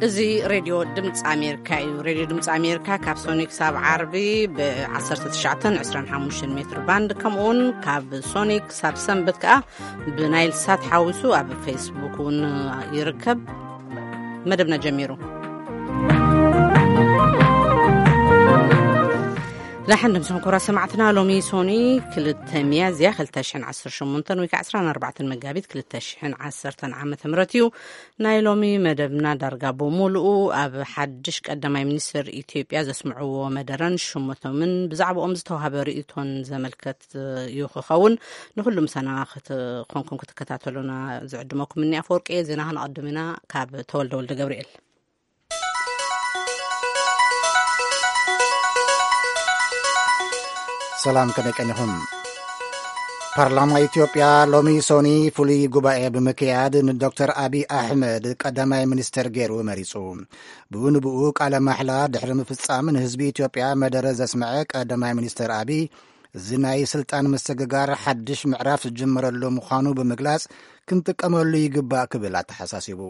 እዚ ሬድዮ ድምፂ ኣሜሪካ እዩ። ሬድዮ ድምፂ ኣሜሪካ ካብ ሶኒ ክሳብ ዓርቢ ብ19 25 ሜትር ባንድ፣ ከምኡውን ካብ ሶኒ ክሳብ ሰንበት ከዓ ብናይል ሳት ሓዊሱ ኣብ ፌስቡክ እውን ይርከብ። መደብና ጀሚሩ። ዳሕን ድምፅኹም ክቡራት ሰማዕትና፣ ሎሚ ሶኒ ክልተ ሚያዝያ ክልተ ሽሕን ዓሰርተ ሸሞንተን ወይ ከዓ ዕስራን ኣርባዕተን መጋቢት ክልተ ሽሕን ዓሰርተን ዓመተ ምህረት እዩ። ናይ ሎሚ መደብና ዳርጋ ብሙሉኡ ኣብ ሓድሽ ቀዳማይ ሚኒስትር ኢትዮጵያ ዘስምዕዎ መደረን ሽሞቶምን ብዛዕባኦም ዝተዋህበ ርእይቶን ዘመልከት እዩ ክኸውን። ንኹሉ ምሳና ክትኮንኩም ክትከታተሉና ዝዕድመኩም እኒ ኣፈወርቂ። ዜና ክንቐድም ኢና ካብ ተወልደ ወልደ ገብርኤል። ሰላም፣ ከመይ ቀኒኹም? ፓርላማ ኢትዮጵያ ሎሚ ሶኒ ፍሉይ ጉባኤ ብምክያድ ንዶክተር ኣቢይ ኣሕመድ ቀዳማይ ሚኒስትር ገይሩ መሪጹ። ብኡ ንብኡ ቃለ ማሕላ ድሕሪ ምፍጻም ንህዝቢ ኢትዮጵያ መደረ ዘስምዐ ቀዳማይ ሚኒስትር ኣቢይ፣ እዚ ናይ ስልጣን ምስግጋር ሓድሽ ምዕራፍ ዝጅመረሉ ምዃኑ ብምግላጽ፣ ክንጥቀመሉ ይግባእ ክብል ኣተሓሳሲቡ።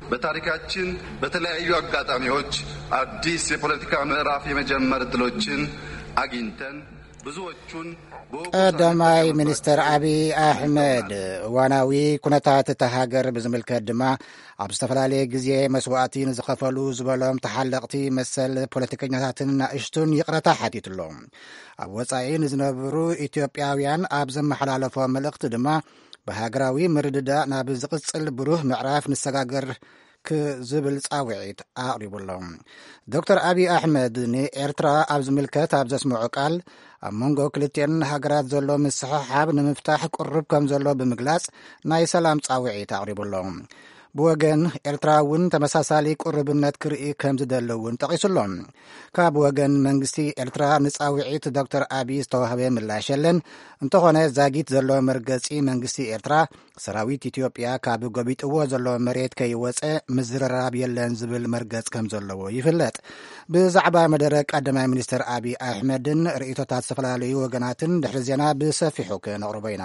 በታሪካችን በተለያዩ አጋጣሚዎች አዲስ የፖለቲካ ምዕራፍ የመጀመር እድሎችን አግኝተን ብዙዎቹን በወቅቱ ቀዳማይ ሳንቀሳቀስ ሚኒስትር ቆይተናል። አብይ አሕመድ እዋናዊ ኩነታት እታ ሃገር ብዝምልከት ድማ፣ ኣብ ዝተፈላለየ ግዜ መስዋእቲ ንዝኸፈሉ ዝበሎም ተሓለቕቲ መሰል ፖለቲከኛታትን ናእሽቱን ይቕረታ ሓቲትሎም። ኣብ ወጻኢ ንዝነብሩ ኢትዮጵያውያን ኣብ ዘመሓላለፎ መልእኽቲ ድማ፣ ብሃገራዊ ምርድዳእ ናብ ዝቕጽል ብሩህ ምዕራፍ ንሰጋገር ክዝብል ጻውዒት ኣቕሪቡ ኣሎ። ዶክተር ኣቢይ ኣሕመድ ንኤርትራ ኣብ ዝምልከት ኣብ ዘስምዖ ቃል፣ ኣብ መንጎ ክልቲኤን ሃገራት ዘሎ ምስሕሓብ ንምፍታሕ ቅሩብ ከም ዘሎ ብምግላጽ፣ ናይ ሰላም ጻውዒት ኣቕሪቡ ኣሎ። ብወገን ኤርትራ እውን ተመሳሳሊ ቅሩብነት ክርኢ ከም ዝደሊ እውን ጠቒሱ ኣሎ። ካብ ወገን መንግስቲ ኤርትራ ንጻውዒት ዶክተር ኣቢይ ዝተዋህበ ምላሽ የለን። እንተኾነ፣ ዛጊት ዘሎ መርገጺ መንግስቲ ኤርትራ፣ ሰራዊት ኢትዮጵያ ካብ ጎቢጥዎ ዘሎ መሬት ከይወጸ ምዝርራብ የለን ዝብል መርገጽ ከም ዘለዎ ይፍለጥ። ብዛዕባ መደረ ቀዳማይ ሚኒስትር ኣቢይ ኣሕመድን ርእይቶታት ዝተፈላለዩ ወገናትን ድሕሪ ዜና ብሰፊሑ ክነቕርቦ ኢና።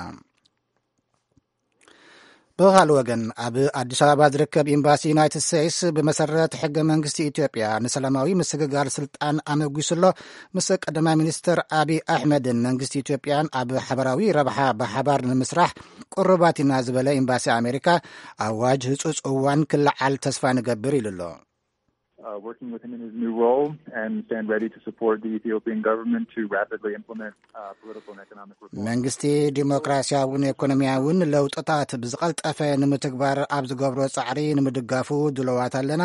ብኻልእ ወገን፣ ኣብ ኣዲስ ኣበባ ዝርከብ ኤምባሲ ዩናይትድ ስቴትስ፣ ብመሰረት ሕገ መንግስቲ ኢትዮጵያ፣ ንሰላማዊ ምስግጋር ስልጣን ኣመጒሱ ኣሎ። ምስ ቀዳማይ ሚኒስትር ኣቢይ ኣሕመድን መንግስቲ ኢትዮጵያን ኣብ ሓበራዊ ረብሓ ብሓባር ንምስራሕ ቅሩባት ኢና ዝበለ ኤምባሲ ኣሜሪካ፣ ኣዋጅ ህጹጽ እዋን ክለዓል ተስፋ ንገብር ኢሉ ኣሎ። Uh, working with him in his new role and stand ready to support the Ethiopian government to rapidly implement, uh, political and economic reform. መንግስቲ ዲሞክራሲያውን ኢኮኖሚያውን ለውጥታት ብዝቐልጠፈ ንምትግባር ኣብ ዝገብሮ ጻዕሪ ንምድጋፉ ድሉዋት ኣለና።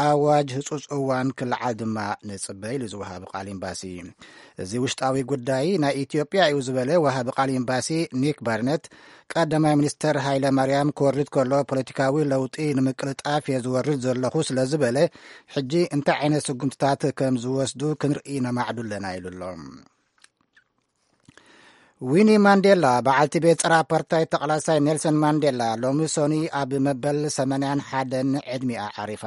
ኣዋጅ ህጹጽ እዋን ክለዓል ድማ ንጽበ ኢሉ ዝወሃብ ቃል ኤምባሲ። እዚ ውሽጣዊ ጉዳይ ናይ ኢትዮጵያ እዩ ዝበለ ወሃቢ ቃል ኤምባሲ ኒክ ባርነት፣ ቀዳማይ ሚኒስተር ሃይለ ማርያም ክወርድ ከሎ ፖለቲካዊ ለውጢ ንምቅልጣፍ እየ ዝወርድ ዘለኹ ስለ ዝበለ፣ ሕጂ እንታይ ዓይነት ስጉምትታት ከም ዝወስዱ ክንርኢ ነማዕዱ ኣለና ኢሉ ኣሎ። ዊኒ ማንዴላ፣ በዓልቲ ቤት ጸረ ኣፓርታይድ ተቓላሳይ ኔልሰን ማንዴላ፣ ሎሚ ሶኒ ኣብ መበል ሰማንያን ሓደን ዕድሚኣ ዓሪፋ።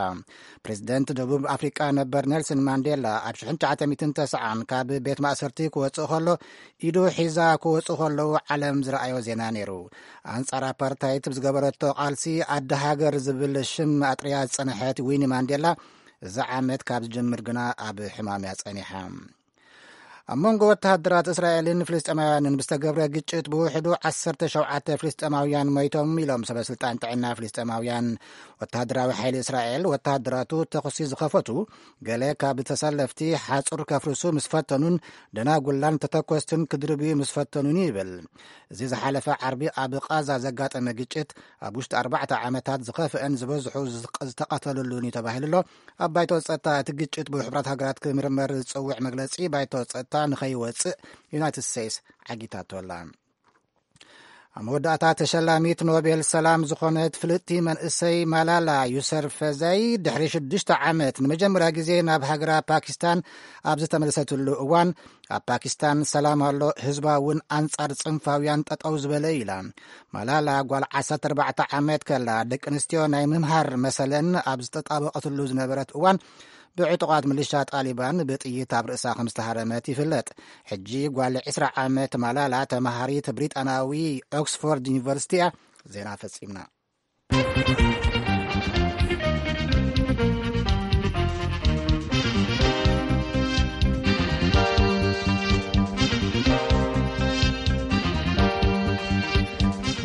ፕሬዚደንት ደቡብ ኣፍሪቃ ነበር ኔልሰን ማንዴላ ኣብ ሽሕን ትሽዓተ ሚእትን ተስዓን ካብ ቤት ማእሰርቲ ክወጽእ ከሎ፣ ኢዱ ሒዛ ክወጽኡ ከለዉ ዓለም ዝረኣዮ ዜና ነይሩ። ኣንጻር ኣፓርታይድ ብዝገበረቶ ቃልሲ ኣደ ሃገር ዝብል ሽም ኣጥርያ ዝጸንሐት ዊኒ ማንዴላ፣ እዚ ዓመት ካብ ዝጅምር ግና ኣብ ሕማም እያ ጸኒሓ። ኣብ መንጎ ወተሃደራት እስራኤልን ፍልስጤማውያንን ብዝተገብረ ግጭት ብውሕዱ ዓሰርተ ሸውዓተ ፍልስጤማውያን ሞይቶም ኢሎም ሰበ ስልጣን ጥዕና ፍልስጤማውያን። ወተሃደራዊ ሓይሊ እስራኤል፣ ወተሃደራቱ ተኹሲ ዝኸፈቱ ገለ ካብ ተሰለፍቲ ሓጹር ከፍርሱ ምስ ፈተኑን ደናጉላን ተተኮስትን ክድርብዩ ምስ ፈተኑን ይብል። እዚ ዝሓለፈ ዓርቢ ኣብ ቃዛ ዘጋጠመ ግጭት ኣብ ውሽጢ ኣርባዕተ ዓመታት ዝኸፍአን ዝበዝሑ ዝቅ-፣ ዝተቐተሉሉን እዩ ተባሂሉ ኣሎ። ኣብ ባይቶ ጸጥታ እቲ ግጭት ብሕቡራት ሃገራት ክምርመር ዝጽውዕ መግለጺ ባይቶ ጸጥታ ንኸይወጽእ ዩናይትድ ስቴትስ ዓጊታቶ ኣላ። ኣብ መወዳእታ፣ ተሸላሚት ኖቤል ሰላም ዝኾነት ፍልጥቲ መንእሰይ ማላላ ዩሰርፈዛይ ድሕሪ ሽዱሽተ ዓመት ንመጀመርያ ግዜ ናብ ሃገራ ፓኪስታን ኣብ ዝተመለሰትሉ እዋን፣ ኣብ ፓኪስታን ሰላም ኣሎ፣ ህዝባ እውን ኣንጻር ጽንፋውያን ጠጠው ዝበለ እዩ ኢላ። ማላላ ጓል ዓሰርተ ኣርባዕተ ዓመት ከላ፣ ደቂ ኣንስትዮ ናይ ምምሃር መሰለን ኣብ ዝተጣበቐትሉ ዝነበረት እዋን፣ ብዕጡቓት ምልሻ ጣሊባን ብጥይት ኣብ ርእሳ ከም ዝተሃረመት ይፍለጥ። ሕጂ ጓል ዕስራ ዓመት ማላላ ተመሃሪት ብሪጣናዊ ኦክስፎርድ ዩኒቨርሲቲ እያ። ዜና ፈጺምና።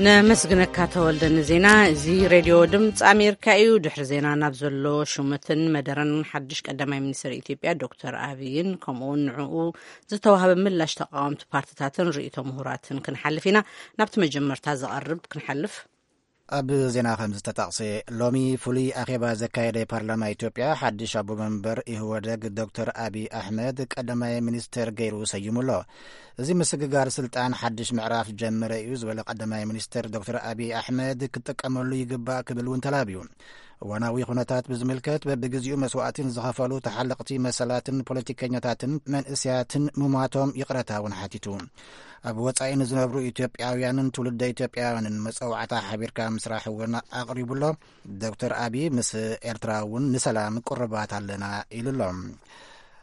ነመስግነካ ተወልደ ንዜና። እዚ ሬድዮ ድምፂ ኣሜሪካ እዩ። ድሕሪ ዜና ናብ ዘሎ ሹመትን መደረን ሓድሽ ቀዳማይ ሚኒስትር ኢትዮጵያ ዶክተር ኣብይን ከምኡውን ንዕኡ ዝተዋህበ ምላሽ ተቃወምቲ ፓርትታትን ርእይቶ ምሁራትን ክንሓልፍ ኢና። ናብቲ መጀመርታ ዝቐርብ ክንሓልፍ። ኣብ ዜና ከም ዝተጠቕሰ፣ ሎሚ ፍሉይ ኣኼባ ዘካየደ ፓርላማ ኢትዮጵያ ሓድሽ ኣቦ መንበር ኢህወደግ ዶክተር ኣብይ ኣሕመድ ቀዳማይ ሚኒስትር ገይሩ ሰይሙ ኣሎ። እዚ ምስግጋር ስልጣን ሓድሽ ምዕራፍ ጀመረ እዩ ዝበለ ቀዳማይ ሚኒስትር ዶክተር ኣብይ ኣሕመድ ክጥቀመሉ ይግባእ ክብል እውን ተላብዩ። እዋናዊ ኩነታት ብዝምልከት በብግዜኡ መስዋእትን ዝኸፈሉ ተሓለቕቲ መሰላትን ፖለቲከኛታትን መንእስያትን ምሟቶም ይቕረታ እውን ሓቲቱ። ኣብ ወጻኢ ንዝነብሩ ኢትዮጵያውያንን ትውልደ ኢትዮጵያውያንን መጸዋዕታ ሓቢርካ ምስራሕ እውን ኣቕሪቡ ኣሎ። ዶክተር ኣብይ ምስ ኤርትራ እውን ንሰላም ቅሩባት ኣለና ኢሉ ኣሎ።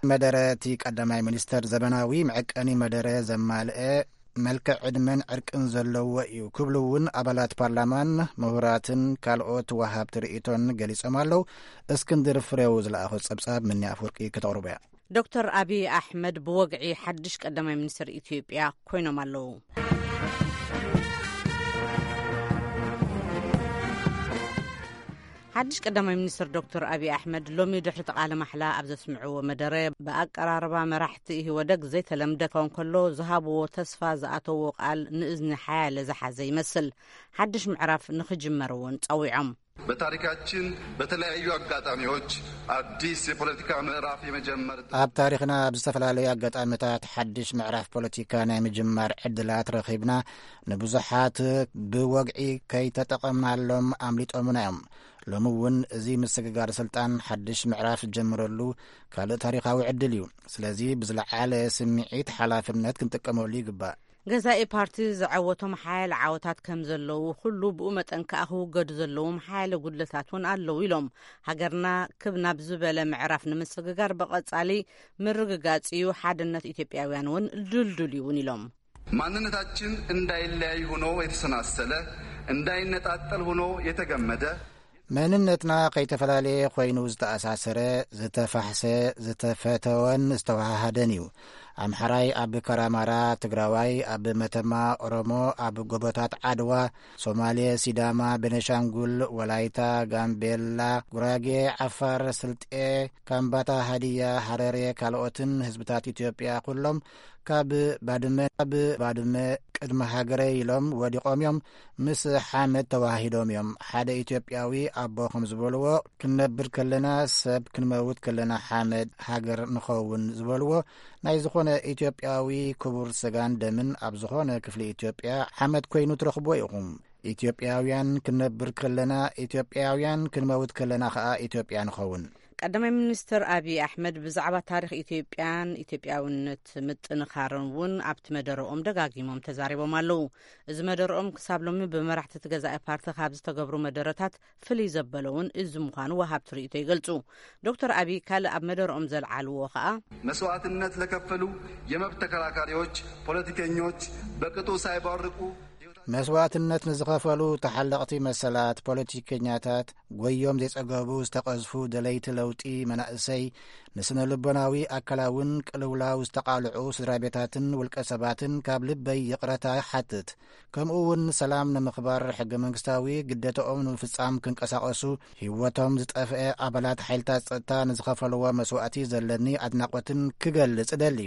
መደረ እቲ ቀዳማይ ሚኒስተር ዘበናዊ መዐቀኒ መደረ ዘማልአ መልክዕ ዕድመን ዕርቅን ዘለዎ እዩ ክብሉ እውን ኣባላት ፓርላማን ምሁራትን ካልኦት ወሃብቲ ርእይቶን ገሊጾም ኣለዉ። እስክንድር ፍሬው ዝለኣኾ ጸብጻብ ምኒ ኣፍወርቂ ከተቕርቦ እያ። ዶክተር ኣብይ ኣሕመድ ብወግዒ ሓድሽ ቀዳማይ ሚኒስትር ኢትዮጵያ ኮይኖም ኣለዉ። ሓድሽ ቀዳማይ ሚኒስትር ዶክተር ኣብይ ኣሕመድ ሎሚ ድሕሪ እቲ ቃለ ማሕላ ኣብ ዘስምዕዎ መደረ፣ ብኣቀራርባ መራሕቲ ኢህወደግ ዘይተለምደ ክኸውን ከሎ፣ ዝሃብዎ ተስፋ ዝኣተዎ ቃል ንእዝኒ ሓያለ ዝሓዘ ይመስል። ሓድሽ ምዕራፍ ንኽጅመር እውን ጸዊዖም። በታሪካችን በተለያዩ አጋጣሚዎች አዲስ የፖለቲካ ምዕራፍ የመጀመር ኣብ ታሪኽና ኣብ ዝተፈላለዩ ኣጋጣሚታት ሓድሽ ምዕራፍ ፖለቲካ ናይ ምጅማር ዕድላት ረኺብና፣ ንብዙሓት ብወግዒ ከይተጠቐምናሎም ኣምሊጦምና እዮም። ሎሚ እውን እዚ ምስግጋር ስልጣን ሓድሽ ምዕራፍ ዝጀምረሉ ካልእ ታሪኻዊ ዕድል እዩ። ስለዚ ብዝለዓለ ስምዒት ሓላፍነት ክንጥቀመሉ ይግባእ። ገዛኢ ፓርቲ ዘዐወቶም ሓያለ ዓወታት ከም ዘለዉ ኩሉ፣ ብኡ መጠን ከኣ ክውገዱ ዘለዎም ሓያለ ጉድለታት እውን ኣለዉ ኢሎም። ሃገርና ክብ ናብ ዝበለ ምዕራፍ ንምስግጋር ብቐጻሊ ምርግጋጽ እዩ፣ ሓድነት ኢትዮጵያውያን እውን ድልዱል እዩ እውን ኢሎም። ማንነታችን እንዳይለያይ ሆኖ የተሰናሰለ፣ እንዳይነጣጠል ሆኖ የተገመደ፣ መንነትና ከይተፈላለየ ኮይኑ ዝተኣሳሰረ፣ ዝተፋሕሰ፣ ዝተፈተወን ዝተወሃሃደን እዩ። ኣምሓራይ ኣብ ካራማራ፣ ትግራዋይ ኣብ መተማ፣ ኦሮሞ ኣብ ጎቦታት ዓድዋ፣ ሶማሌ፣ ሲዳማ፣ ቤኒሻንጉል፣ ወላይታ፣ ጋምቤላ፣ ጉራጌ፣ ዓፋር፣ ስልጤ፣ ካምባታ፣ ሃዲያ፣ ሃረሬ፣ ካልኦትን ህዝብታት ኢትዮጵያ ኩሎም ካብ ባድመ፣ ካብ ባድመ ቅድሚ ሃገረይ ኢሎም ወዲቖም እዮም። ምስ ሓመድ ተዋሂዶም እዮም። ሓደ ኢትዮጵያዊ ኣቦ ከም ዝበልዎ፣ ክንነብር ከለና ሰብ፣ ክንመውት ከለና ሓመድ፣ ሃገር ንኸውን ዝበልዎ፣ ናይ ዝኾነ ኢትዮጵያዊ ክቡር ስጋን ደምን ኣብ ዝኾነ ክፍሊ ኢትዮጵያ ሓመድ ኮይኑ ትረኽብዎ ኢኹም። ኢትዮጵያውያን ክንነብር ከለና ኢትዮጵያውያን፣ ክንመውት ከለና ኸኣ ኢትዮጵያ ንኸውን። ቀዳማይ ሚኒስትር ኣብይ ኣሕመድ ብዛዕባ ታሪኽ ኢትዮጵያን ኢትዮጵያውነት ምጥንኻርን እውን ኣብቲ መደረኦም ደጋጊሞም ተዛሪቦም ኣለዉ። እዚ መደረኦም ክሳብ ሎሚ ብመራሕቲ እቲ ገዛኢ ፓርቲ ካብ ዝተገብሩ መደረታት ፍልይ ዘበለ እውን እዚ ምዃኑ ወሃብቲ ርእይቶ ይገልጹ። ዶክተር ኣብይ ካልእ ኣብ መደረኦም ዘልዓልዎ ኸኣ፣ መስዋዕትነት ለከፈሉ የመብት ተከራካሪዎች፣ ፖለቲከኞች በቅጡ ሳይባርቁ መስዋዕትነት ንዝኸፈሉ ተሓለቕቲ መሰላት ፖለቲከኛታት፣ ጎዮም ዘይጸገቡ ዝተቐዝፉ ደለይቲ ለውጢ መናእሰይ፣ ንስነ ልቦናዊ ኣካላውን ቅልውላው ዝተቓልዑ ስድራ ቤታትን ውልቀ ሰባትን ካብ ልበይ ይቕረታ ይሓትት። ከምኡ እውን ሰላም ንምኽባር ሕገ መንግስታዊ ግደታኦም ንምፍጻም ክንቀሳቐሱ፣ ህይወቶም ዝጠፍአ ኣባላት ሓይልታት ጸጥታ ንዝኸፈልዎ መስዋእቲ ዘለኒ ኣድናቖትን ክገልጽ እደሊ።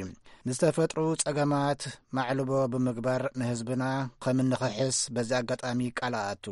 ንዝተፈጥሩ ጸገማት ማዕልቦ ብምግባር ንህዝብና ከም እንኽሕስ በዚ ኣጋጣሚ ቃል ኣኣቱ።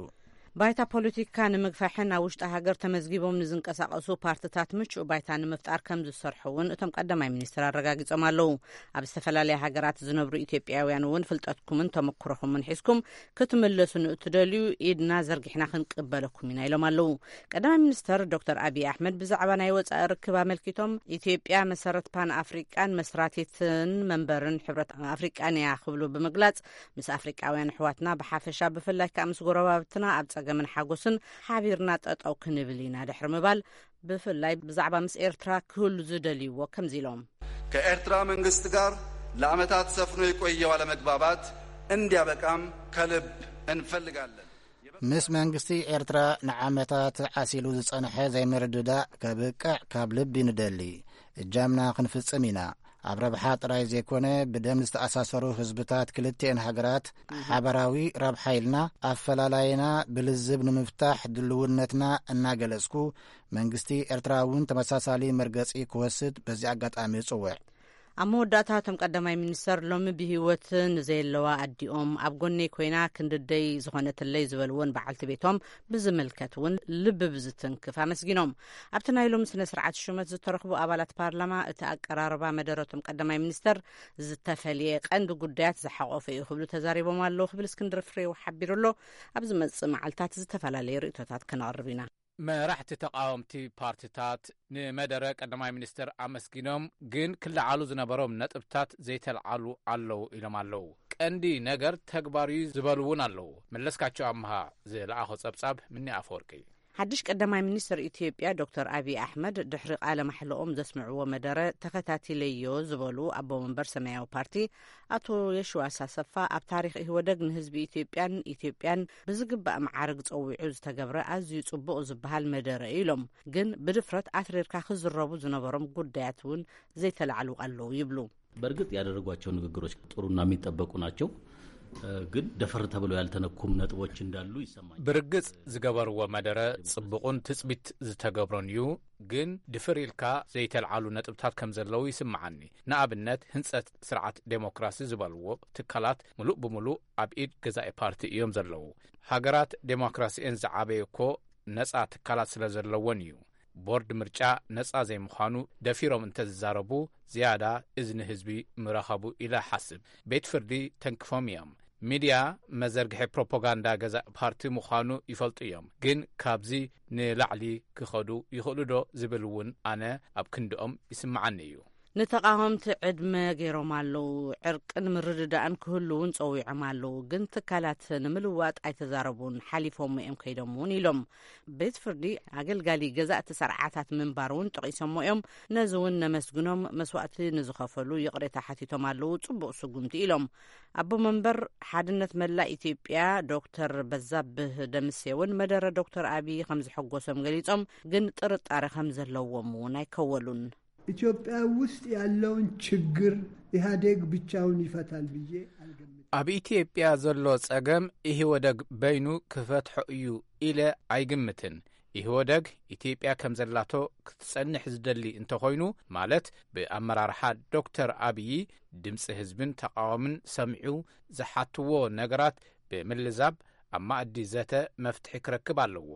ባይታ ፖለቲካ ንምግፋሕን ኣብ ውሽጢ ሃገር ተመዝጊቦም ንዝንቀሳቐሱ ፓርትታት ምቹእ ባይታ ንምፍጣር ከም ዝሰርሑ እውን እቶም ቀዳማይ ሚኒስትር ኣረጋጊጾም ኣለዉ። ኣብ ዝተፈላለያ ሃገራት ዝነብሩ ኢትዮጵያውያን እውን ፍልጠትኩምን ተመክሮኹምን ሒዝኩም ክትምለሱ ንእትደልዩ ኢድና ዘርጊሕና ክንቅበለኩም ኢና ኢሎም ኣለዉ። ቀዳማይ ሚኒስትር ዶክተር ኣብይ ኣሕመድ ብዛዕባ ናይ ወጻኢ ርክብ ኣመልኪቶም፣ ኢትዮጵያ መሰረት ፓን ኣፍሪቃን መስራቲትን መንበርን ሕብረት ኣፍሪቃን እያ ክብሉ ብምግላጽ፣ ምስ ኣፍሪቃውያን ኣሕዋትና ብሓፈሻ ብፍላይ ከኣ ምስ ጎረባብትና ኣብ ጸገምን ሓጎስን ሓቢርና ጠጠው ክንብል ኢና ድሕሪ ምባል፣ ብፍላይ ብዛዕባ ምስ ኤርትራ ክህሉ ዝደልይዎ ከምዚ ኢሎም። ከኤርትራ መንግስት ጋር ለዓመታት ሰፍኖ የቆየው አለመግባባት እንዲያበቃም ከልብ እንፈልጋለን። ምስ መንግስቲ ኤርትራ ንዓመታት ዓሲሉ ዝጸንሐ ዘይምርድዳእ ከብቅዕ ካብ ልቢ ንደሊ። እጃምና ክንፍጽም ኢና። ኣብ ረብሓ ጥራይ ዘይኮነ፣ ብደም ዝተኣሳሰሩ ህዝብታት ክልቲኤን ሃገራት ሓበራዊ ረብሓ ኢልና ኣፈላላይና ብልዝብ ንምፍታሕ ድልውነትና እናገለጽኩ፣ መንግስቲ ኤርትራ እውን ተመሳሳሊ መርገጺ ክወስድ በዚ ኣጋጣሚ እጽውዕ። ኣብ መወዳእታ እቶም ቀዳማይ ሚኒስተር፣ ሎሚ ብህይወት ንዘየለዋ ኣዲኦም፣ ኣብ ጎነይ ኮይና ክንድደይ ዝኾነትለይ ዝበልዎን በዓልቲ ቤቶም ብዝምልከት እውን ልቢ ብዝትንክፍ ኣመስጊኖም። ኣብቲ ናይ ሎሚ ስነ ስርዓት ሹመት ዝተረኽቡ ኣባላት ፓርላማ፣ እቲ ኣቀራርባ መደረቶም ቀዳማይ ሚኒስተር ዝተፈልየ ቀንዲ ጉዳያት ዝሓቆፈ እዩ ክብሉ ተዛሪቦም ኣለዉ ክብል እስክንድር ፍሬው ሓቢሩ ኣሎ። ኣብ ዝመጽእ መዓልታት ዝተፈላለዩ ርእይቶታት ከነቕርብ ኢና። መራሕቲ ተቓወምቲ ፓርቲታት ንመደረ ቀዳማይ ሚኒስትር ኣመስጊኖም፣ ግን ክለዓሉ ዝነበሮም ነጥብታት ዘይተለዓሉ ኣለዉ ኢሎም ኣለዉ። ቀንዲ ነገር ተግባር እዩ ዝበሉ እውን ኣለዉ። መለስካቸው ኣምሃ ዝለኣኾ ጸብጻብ ምኒ ኣፈወርቂ። ሓድሽ ቀዳማይ ሚኒስትር ኢትዮጵያ ዶክተር ኣብይ ኣሕመድ ድሕሪ ቃለ ማሕለኦም ዘስምዕዎ መደረ ተኸታቲለዮ ዝበሉ ኣቦ መንበር ሰማያዊ ፓርቲ ኣቶ የሽዋስ ኣሰፋ፣ ኣብ ታሪኽ ኢህወደግ ንህዝቢ ኢትዮጵያን ኢትዮጵያን ብዝግባእ መዓርግ ጸዊዑ ዝተገብረ ኣዝዩ ጽቡቕ ዝበሃል መደረ እዩ ኢሎም። ግን ብድፍረት ኣትሪርካ ክዝረቡ ዝነበሮም ጉዳያት እውን ዘይተላዕሉ ኣለዉ ይብሉ። በእርግጥ ያደረጓቸው ንግግሮች ጥሩና የሚጠበቁ ናቸው። ግን ደፈር ተብለው ያልተነኩም ነጥቦች እንዳሉ ይሰማኛል። ብርግጽ ዝገበርዎ መደረ ጽቡቕን ትጽቢት ዝተገብሮን እዩ። ግን ድፍር ኢልካ ዘይተልዓሉ ነጥብታት ከም ዘለዉ ይስምዓኒ። ንኣብነት፣ ህንጸት ስርዓት ዴሞክራሲ ዝበልዎ ትካላት ምሉእ ብምሉእ ኣብ ኢድ ገዛኢ ፓርቲ እዮም ዘለዉ። ሃገራት ዴሞክራሲኤን ዝዓበየ እኮ ነጻ ትካላት ስለ ዘለዎን እዩ። ቦርድ ምርጫ ነጻ ዘይምዃኑ ደፊሮም እንተዝዛረቡ፣ ዝያዳ እዝኒ ህዝቢ ምረኸቡ ኢለ ሓስብ። ቤት ፍርዲ ተንክፎም እዮም። ሚድያ መዘርግሒ ፕሮፓጋንዳ ገዛእ ፓርቲ ምዃኑ ይፈልጡ እዮም። ግን ካብዚ ንላዕሊ ክኸዱ ይኽእሉ ዶ ዝብል እውን ኣነ ኣብ ክንድኦም ይስምዓኒ እዩ። ንተቓወምቲ ዕድመ ገይሮም ኣለዉ። ዕርቅን ምርድዳእን ክህሉ እውን ጸዊዖም ኣለዉ። ግን ትካላት ንምልዋጥ ኣይተዛረቡን፣ ሓሊፎም እዮም ከይዶም እውን ኢሎም። ቤት ፍርዲ ኣገልጋሊ ገዛእቲ ስርዓታት ምንባር እውን ጠቒሶሞ እዮም። ነዚ እውን ነመስግኖም። መስዋእቲ ንዝኸፈሉ ይቕሬታ ሓቲቶም ኣለዉ። ጽቡቕ ስጉምቲ ኢሎም። ኣቦ መንበር ሓድነት መላእ ኢትዮጵያ ዶክተር በዛብህ ደምሴ እውን መደረ ዶክተር ኣብይ ከም ዘሐጎሶም ገሊጾም፣ ግን ጥርጣረ ከም ዘለዎም እውን ኣይከወሉን። ኢትዮጵያ ውስጥ ያለውን ችግር ኢህአዴግ ብቻውን ይፈታል ብዬ አልገምትም። ኣብ ኢትዮጵያ ዘሎ ጸገም ኢህወደግ በይኑ ክፈትሖ እዩ ኢለ ኣይግምትን። ኢህወደግ ኢትዮጵያ ከም ዘላቶ ክትጸንሕ ዝደሊ እንተኾይኑ፣ ማለት ብኣመራርሓ ዶክተር ኣብዪ ድምፂ ህዝብን ተቃዋምን ሰሚዑ ዝሓትዎ ነገራት ብምልዛብ ኣብ ማእዲ ዘተ መፍትሒ ክረክብ ኣለዎ።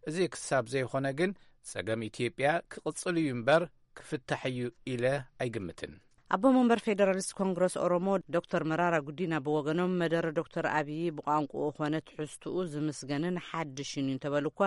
እዚ ክሳብ ዘይኾነ ግን ጸገም ኢትዮጵያ ክቕጽል እዩ እምበር ክፍታሕ እዩ ኢለ ኣይግምትን። ኣቦ መንበር ፌደራሊስት ኮንግረስ ኦሮሞ ዶክተር መራራ ጉዲና ብወገኖም፣ መደረ ዶክተር ኣብዪ ብቋንቋኡ ኾነ ትሕዝትኡ ዝምስገንን ሓድሽን እዩ እንተበሉ እኳ፣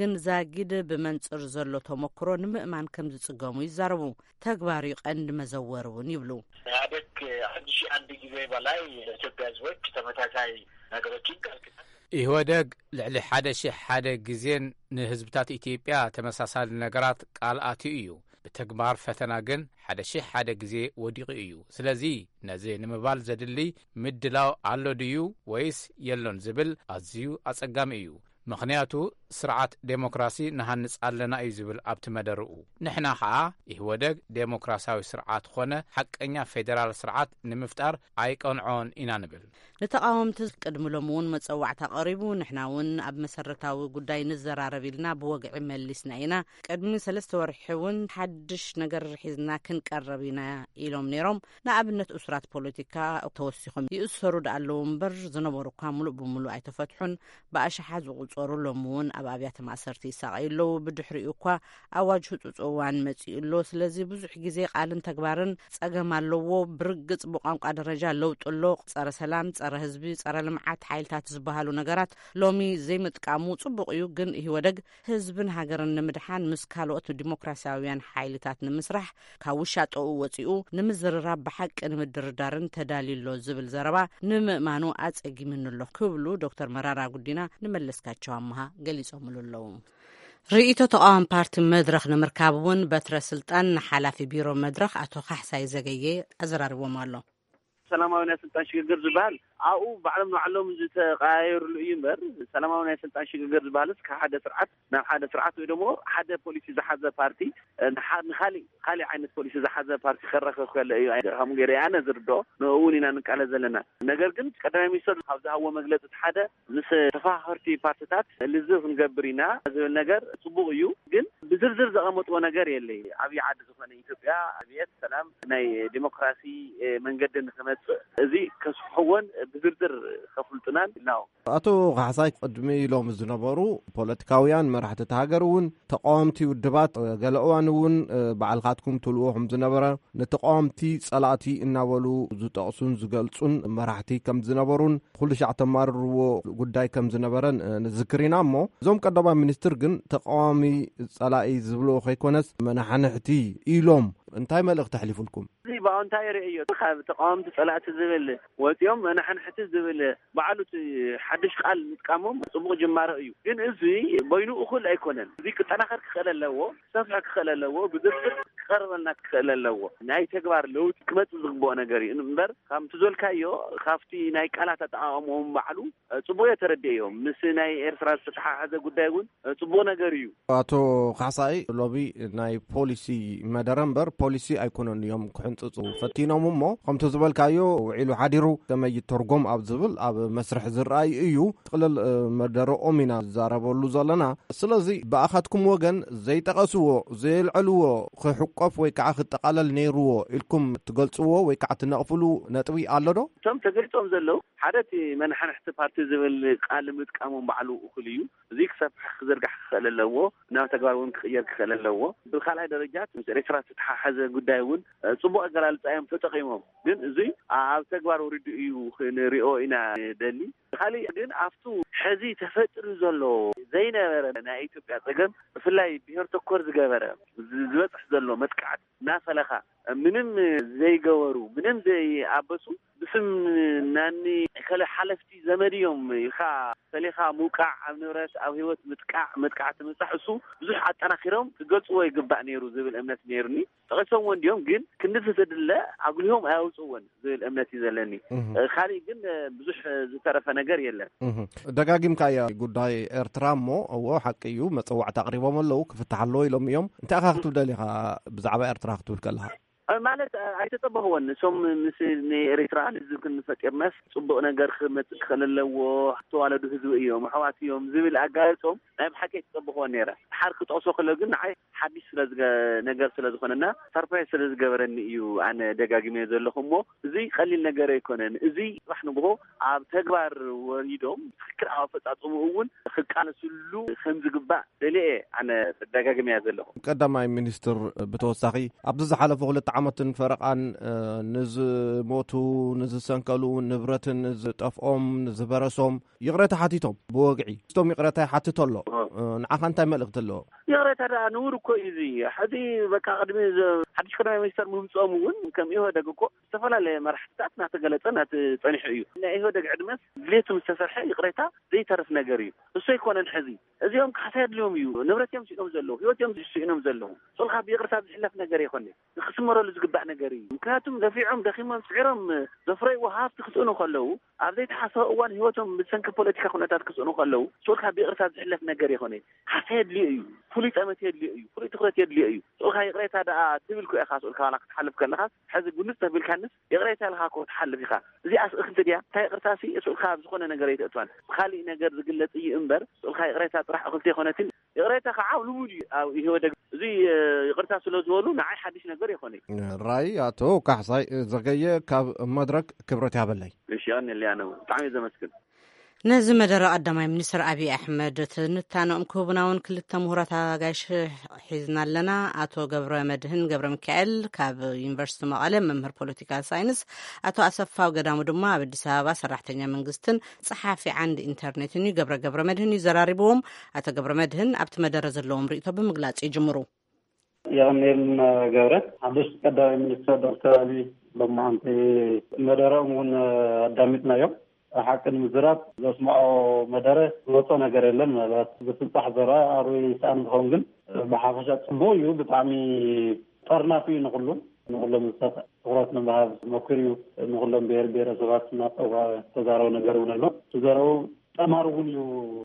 ግን ዛጊድ ብመንጽር ዘሎ ተሞክሮ ንምእማን ከም ዝጽገሙ ይዛረቡ። ተግባር እዩ ቀንዲ መዘወር እውን ይብሉ። ኢህአዴግ አንድ ሺህ አንድ ጊዜ በላይ ለኢትዮጵያ ህዝቦች ተመሳሳይ ነገሮችን ቃል ኪዳን። ኢህወደግ ልዕሊ ሓደ ሺሕ ሓደ ግዜን ንህዝብታት ኢትዮጵያ ተመሳሳሊ ነገራት ቃል ኣትዩ እዩ። ብተግባር ፈተና ግን ሓደ ሺሕ ሓደ ግዜ ወዲቑ እዩ። ስለዚ ነዚ ንምባል ዘድሊ ምድላው ኣሎ ድዩ ወይስ የሎን ዝብል ኣዝዩ ኣጸጋሚ እዩ። ምኽንያቱ ስርዓት ዴሞክራሲ ንሃንጽ ኣለና እዩ ዝብል ኣብቲ መደርኡ። ንሕና ኸኣ ኢህወደግ ዴሞክራሲያዊ ስርዓት ኾነ ሓቀኛ ፌዴራል ስርዓት ንምፍጣር ኣይቀንዖን ኢና ንብል። ንተቓወምቲ ቅድሚ ሎሚ እውን መጸዋዕታ ቀሪቡ፣ ንሕና እውን ኣብ መሰረታዊ ጉዳይ ንዘራረብ ኢልና ብወግዒ መሊስና ኢና። ቅድሚ ሰለስተ ወርሒ እውን ሓድሽ ነገር ሒዝና ክንቀርብ ኢና ኢሎም ነይሮም። ንኣብነት እሱራት ፖለቲካ ተወሲኾም ይእሰሩ ደኣ ኣለዉ እምበር ዝነበሩ እኳ ሙሉእ ብሙሉእ ኣይተፈትሑን። ብኣሽሓት ዝቑጸሩ ሎሚ እውን ኣብ ኣብያተ ማእሰርቲ ይሳቐዩ ኣለዉ። ብድሕሪኡ እኳ ኣዋጅ ህጹጽ እዋን መጺኡ ኣሎ። ስለዚ ብዙሕ ግዜ ቃልን ተግባርን ጸገም ኣለዎ። ብርግጽ ብቋንቋ ደረጃ ለውጢ ኣሎ። ጸረ ሰላም፣ ጸረ ህዝቢ፣ ጸረ ልምዓት ሓይልታት ዝበሃሉ ነገራት ሎሚ ዘይምጥቃሙ ጽቡቕ እዩ። ግን ኢህወደግ ህዝብን ሃገርን ንምድሓን ምስ ካልኦት ዲሞክራሲያውያን ሓይልታት ንምስራሕ ካብ ውሻጠኡ ወጺኡ ንምዝርራብ ብሓቂ ንምድርዳርን ተዳልዩ ኣሎ ዝብል ዘረባ ንምእማኑ ኣጸጊምኒ ኣሎ ክብሉ ዶክተር መራራ ጉዲና ንመለስካቸው ኣመሃ ገሊጾምሉ ኣለዉ። ርእይቶ ተቃዋሚ ፓርቲ መድረኽ ንምርካብ እውን በትረ ስልጣን ንሓላፊ ቢሮ መድረኽ ኣቶ ካሕሳይ ዘገየ ኣዘራርቦም ኣሎ። ሰላማዊ ናይ ስልጣን ሽግግር ዝበሃል ኣብኡ ባዕሎም ንባዕሎም ዝተቀያየሩሉ እዩ እምበር፣ ሰላማዊ ናይ ስልጣን ሽግግር ዝበሃልስ ካብ ሓደ ስርዓት ናብ ሓደ ስርዓት ወይ ደግሞ ሓደ ፖሊሲ ዝሓዘ ፓርቲ ንሓ- ንካሊእ ካሊእ ዓይነት ፖሊሲ ዝሓዘ ፓርቲ ከራኸብ ከሎ እዩ። ኣይ- ከምኡ ገይረ ኣነ ዝርድኦ ንኡ እውን ኢና ንቃለ ዘለና። ነገር ግን ቀዳማይ ሚኒስትር ካብ ዝሃብዎ መግለፂ እቲ ሓደ ምስ ተፋኸርቲ ፓርትታት ልዝብ ክንገብር ኢና ዝብል ነገር ፅቡቅ እዩ። ግን ብዝርዝር ዘቐመጥዎ ነገር የለይ። ዓብዪ ዓዲ ዝኾነ ኢትዮጵያ ዕብየት፣ ሰላም፣ ናይ ዲሞክራሲ መንገዲ ንክመፅእ እዚ ከስፍሕዎን ብዝርዝር ከፍልጡናን ኢልና። ኣቶ ካሕሳይ፣ ቅድሚ ኢሎም ዝነበሩ ፖለቲካውያን መራሕቲ እቲ ሃገር እውን ተቃወምቲ ውድባት ገለ እዋን እውን ባዕልካትኩም ትብልዎ ከም ዝነበረ፣ ንተቃወምቲ ጸላእቲ እናበሉ ዝጠቕሱን ዝገልጹን መራሕቲ ከም ዝነበሩን ኩሉ ሻዕ ተማርርዎ ጉዳይ ከም ዝነበረን ንዝክር ኢና። እሞ እዞም ቀዳማይ ሚኒስትር ግን ተቃዋሚ ጸላኢ ዝብልዎ ከይኮነስ መናሓንሕቲ ኢሎም እንታይ መልእኽቲ ኣሕሊፉልኩም? እዚ ብኣወንታ ይርእዮ። ካብ ተቃወምቲ ጸላእቲ ዝብል ወፂኦም መናሓንሕቲ ዝብል ባዕሉ እቲ ሓድሽ ቃል ምጥቃሞም ጽቡቕ ጅማሮ እዩ። ግን እዚ በይኑ እኹል ኣይኮነን። እዚ ክጠናኸር ክኽእል ኣለዎ፣ ክሰፍሐ ክኽእል ኣለዎ፣ ብዝርዝር ክቐርበልና ክኽእል ኣለዎ። ናይ ተግባር ለውጢ ክመጽእ ዝግብኦ ነገር እዩ እምበር፣ ከምቲ ዝበልካዮ ካብቲ ናይ ቃላት ኣጠቓቕምኦም ባዕሉ ጽቡቕ እየ ተረዲኤዮም። ምስ ናይ ኤርትራ ዝተተሓሓዘ ጉዳይ እውን ጽቡቕ ነገር እዩ። ኣቶ ካሕሳይ፣ ሎሚ ናይ ፖሊሲ መደረ እምበር ፖሊሲ ኣይኮነን እዮም ክሕንጽጹ ፈቲኖም። እሞ ከምቲ ዝበልካዮ ውዒሉ ሓዲሩ ከመይ ይተርጎም ኣብ ዝብል ኣብ መስርሕ ዝረኣይ እዩ። ጥቕልል መደረኦም ኢና ዝዛረበሉ ዘለና። ስለዚ ብኣኻትኩም ወገን ዘይጠቐስዎ፣ ዘየልዐልዎ ክሕቆፍ ወይ ከዓ ክጠቓለል ነይርዎ ኢልኩም ትገልጽዎ ወይ ከዓ ትነቕፍሉ ነጥቢ ኣሎ ዶ? እቶም ተገሊጾም ዘለዉ ሓደ እቲ መናሓንሕቲ ፓርቲ ዝብል ቃል ምጥቃሞም ባዕሉ እኹል እዩ። እዚ ክሰፍሕ ክዝርጋሕ ክኽእል ኣለዎ፣ ናብ ተግባር እውን ክቕየር ክኽእል ኣለዎ። ብካልኣይ ደረጃ ምስ ኤርትራ ዝተተሓሓዘ ጉዳይ እውን ጽቡቕ ኣገላልጻ እዮም ተጠቒሞም። ግን እዚ ኣብ ተግባር ወሪዱ እዩ ክንሪኦ ኢና ደሊ። ካሊእ ግን ኣብቱ ሕዚ ተፈጢሩ ዘሎ ዘይነበረ ናይ ኢትዮጵያ ጸገም ብፍላይ ብሄር ተኮር ዝገበረ ዝ- ዝበጽሕ ዘሎ መጥቃዕት እናፈለኻ ምንም ዘይገበሩ ምንም ዘይኣበሱ ብስም ናኒ ከለ ሓለፍቲ ዘመድ እዮም ኢልካ ፈሊኻ ምውቃዕ፣ ኣብ ንብረት ኣብ ህይወት ምጥቃዕ፣ መጥቃዕቲ ምብጻሕ እሱ ብዙሕ ኣጠናኺሮም ክገልጽዎ ይግባእ ነይሩ ዝብል እምነት ነይሩኒ። ጠቒሶምዎ እንዲዮም ግን ክንዲ ዝድለ ኣጉሊሆም ኣያውፅዎን ዝብል እምነት እዩ ዘለኒ። ካሊእ ግን ብዙሕ ዝተረፈ ነገር የለን። ደጋጊምካ እያ ጉዳይ ኤርትራ እሞ እዎ ሓቂ እዩ መፀዋዕታ ኣቅሪቦም ኣለዉ ክፍታሕ ኣለዎ ኢሎም እዮም። እንታይ ኢኻ ክትብል ደሊኻ ብዛዕባ ኤርትራ ክትብል ከለኻ? ማለት ኣይተጸበኽዎን። እሶም ምስ ንኤርትራ ልዝብ ክንፈጢርናስ ጽቡቕ ነገር ክመጽእ ክኽእል ኣለዎ፣ ዝተዋለዱ ህዝቢ እዮም፣ ኣሕዋት እዮም ዝብል ኣጋልጾም ናይ ብሓቂ ኣይተጸበኽዎን ነይረ። ሓር ክጠቕሶ ከሎ ግን ንዓይ ሓድሽ ስለ ዝገ- ነገር ስለ ዝኾነና ሰርፕራይዝ ስለ ዝገበረኒ እዩ ኣነ ደጋጊመዮ ዘለኹ። እሞ እዚ ቀሊል ነገር ኣይኮነን። እዚ ጽባሕ ንግሆ ኣብ ተግባር ወሪዶም ትክክል ኣብ ኣፈጻጽምኡ እውን ክቃለስሉ ከም ዝግባእ ደልየ ኣነ ደጋግመያ ዘለኹ። ቀዳማይ ሚኒስትር ብተወሳኺ ኣብዚ ዝሓለፉ ክልተ ዓመትን ፈረቓን ንዝሞቱ፣ ንዝሰንከሉ፣ ንብረትን ዝጠፍኦም፣ ንዝበረሶም ይቕረታ ሓቲቶም ብወግዒ ስቶም ይቕረታ ይሓትቶ ኣሎ። ንዓኻ እንታይ መልእኽቲ ኣለዎ? ይቕረታ ደኣ ንውር እኮ እዩ። እዚ ሕዚ በቃ ቅድሚ ሓድሽ ቀዳማይ ሚኒስተር ምምፅኦም እውን ከም ኢህወደግ እኮ ዝተፈላለየ መራሕትታት እናተገለፀ እናተፀኒሑ እዩ። ናይ ኢህወደግ ዕድመስ ድሌቱ ምስ ተሰርሐ ይቕሬታ ዘይተርፍ ነገር እዩ። እሱ ኣይኮነን ሕዚ እዚኦም ካሕሳ የድልዮም እዩ። ንብረት እዮም ስኢኖም ዘለዉ፣ ህይወት እዮም ስኢኖም ዘለዉ። ሶልካ ብይቕርታ ዝሕለፍ ነገር ኣይኮነ። ንክስመረሉ ዝግባእ ነገር እዩ። ምክንያቱም ለፊዖም ደኺሞም ስዒሮም ዘፍረይዎ ሃፍቲ ክስእኑ ከለዉ ኣብ ዘይተሓሰበ እዋን ህይወቶም ብሰንኪ ፖለቲካ ኩነታት ክስእኑ ከለዉ ሶልካ ብይቕርታ ዝሕለፍ ነገር ኣይኮነ። ካሕሳ የድልዮ እዩ። ፍሉይ ጠመት የድልዮ እዩ። ፍሉይ ትኹረት የድልዮ እዩ። ሶልካ ይቕሬታ ደኣ ትብል ኮ ኢኻ። ሶልካ ዋላ ክትሓልፍ ከለኻ ሕዚ ጉንጽ ተቢልካንስ ይቕሬታ ኢልካ ኮ ትሓልፍ ኢኻ። እዚኣስ እኽልቲ ድያ? እንታይ ይቕርታ ሲ እሱ ኢልካ ኣብ ዝኾነ ነገር ኣይተእትዋን። ብኻሊእ ነገር ዝግለጽ እዩ እምበር እሱ ኢልካ ይቕሬታ ጥራሕ እኽልቲ ኣይኮነትን። ይቕሬታ ከዓ ልሙድ እዩ ኣብ ኢህወደግ። እዚ ይቕርታ ስለ ዝበሉ ንዓይ ሓድሽ ነገር ይኾነ። ራይ ኣቶ ካሕሳይ ዘገየ ካብ መድረክ ክብረት ያበለይ። እሺ፣ ቀንልያ ነው። ብጣዕሚ ዘመስግን። ነዚ መደረ ቀዳማይ ሚኒስትር ኣብይ ኣሕመድ ትንታነኦም ክህቡና እውን ክልተ ምሁራት ኣጋይሽ ሒዝና ኣለና። ኣቶ ገብረ መድህን ገብረ ሚካኤል ካብ ዩኒቨርሲቲ መቐለ መምህር ፖለቲካል ሳይንስ፣ ኣቶ ኣሰፋው ገዳሙ ድማ ኣብ ኣዲስ ኣበባ ሰራሕተኛ መንግስትን ጸሓፊ ዓንዲ ኢንተርኔትን እዩ። ገብረ ገብረ መድህን እዩ ዘራሪብዎም። ኣቶ ገብረ መድህን ኣብቲ መደረ ዘለዎም ርእይቶ ብምግላጽ ይጅምሩ። የቐንየልና ገብረ። ሓድሽ ቀዳማይ ሚኒስትር ዶክተር ኣብይ ሎማዓንቲ መደረኦም እውን ኣዳሚጥናዮም። ሓቂ ንምዝራብ ዘስምዖ መደረ ዝወጾ ነገር የለን። ምናልባት ብፍንጻሕ ዘረባ ኣርበይ ይስኣን ዝኸውን ግን ብሓፈሻ ጽቡቕ እዩ። ብጣዕሚ ጠርናፊ እዩ ንኹሉ። ንኹሎም እንስሳት ትኹረት ንምሃብ መኩር እዩ። ንኹሎም ብሔር ብሔረሰባት እናፀዋ ዝተዛረቡ ነገር እውን ኣሎ። ዝተዛረቡ ጠማር እውን እዩ።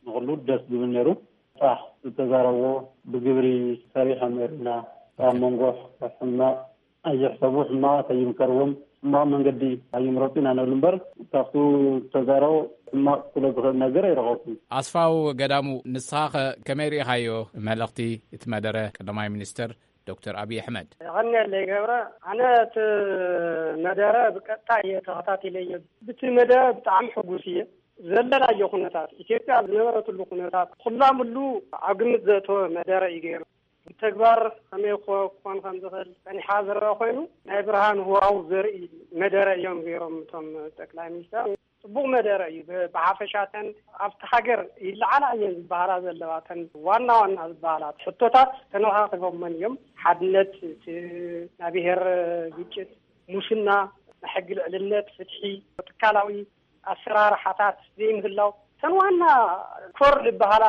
ንኹሉ ደስ ዝብል ነይሩ። ጣሕ ዝተዛረብዎ ብግብሪ ሰሪሖም ነርና። ኣብ መንጎ ሕማቕ ኣይሕሰቡ፣ ሕማቕ ኣይምከርዎም፣ ሕማቕ መንገዲ ኣይምረፁ ኢና ንብል እምበር፣ ካብቲ ዝተዛረቡ ሕማቕ ክብሎ ዝኽእል ነገር ኣይረኸብኩን። ኣስፋው ገዳሙ፣ ንስኻ ኸ ከመይ ርኢኻዮ መልእኽቲ እቲ መደረ ቀዳማይ ሚኒስትር ዶክተር ኣብይ ኣሕመድ? የቐንየለይ ገብረ። ኣነ እቲ መደረ ብቀጥታ እየ ተኸታቲለዮ። ብቲ መደረ ብጣዕሚ ሕጉስ እየ። ዘለናዮ ኩነታት፣ ኢትዮጵያ ዝነበረትሉ ኩነታት፣ ኩላምሉ ኣብ ግምት ዘእተወ መደረ እዩ ገይሩ። ብተግባር ከመይ ኮ-፣ ክኾን ከም ዝኽእል ጸኒሓ ዝረኣ ኮይኑ፣ ናይ ብርሃን ህዋው ዘርኢ መደረ እዮም ገይሮም እቶም ጠቅላይ ሚኒስተር። ጽቡቕ መደረ እዩ። ብ-፣ ብሓፈሻ እተን ኣብቲ ሃገር ይለዓላ እየን ዝበሃላ ዘለዋ፣ እተን ዋና ዋና ዝበሃላ ሕቶታት ተነኻኺቦመን እዮም። ሓድነት፣ እቲ ናይ ብሔር ግጭት፣ ሙስና፣ ናይ ሕጊ ልዕልነት፣ ፍትሒ፣ ትካላዊ ኣሰራርሓታት ዘይምህላው፣ እተን ዋና ኮር ዝበሃላ